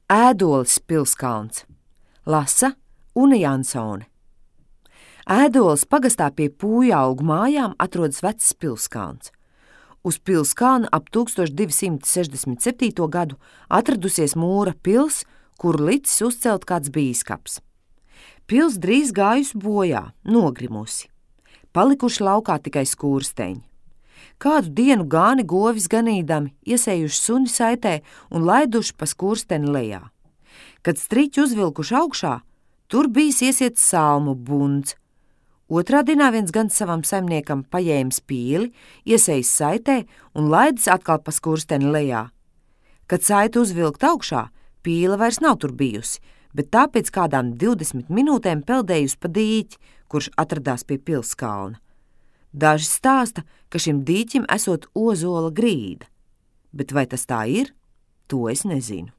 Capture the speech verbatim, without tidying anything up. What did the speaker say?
Ēdoles pilskalns. Lasa Una Jansone. Ēdoles pagastā pie Pūjaugu mājām atrodas vecs pilskalns. Uz pilskalna ap tūkstoš divi simti sešdesmit septīto gadu atradusies mūra pils, kuru licis uzcelt kāds bīskaps. Pils drīz gājusi bojā, nogrimusi. Palikuši laukā tikai skursteņi. Kādu dienu gāni govis ganīdami iesējuši suni saitē un laiduši pa skursteni lejā. Kad striķi uzvilkuši augšā, tur bijis iesiets salmu bunds. Otrā dienā viens gan savam saimniekam paņēmis pīli, iesējis saitē un laidis atkal pa skursteni lejā. Kad saita uzvilkt augšā, pīle vairs nav tur bijusi, bet tā pēc kādām divdesmit minūtēm peldējusi pa dīķi, kurš atradās pie pilskalna. Daži stāsta, ka šim dīķim esot ozola grīda, bet vai tas tā ir, to es nezinu.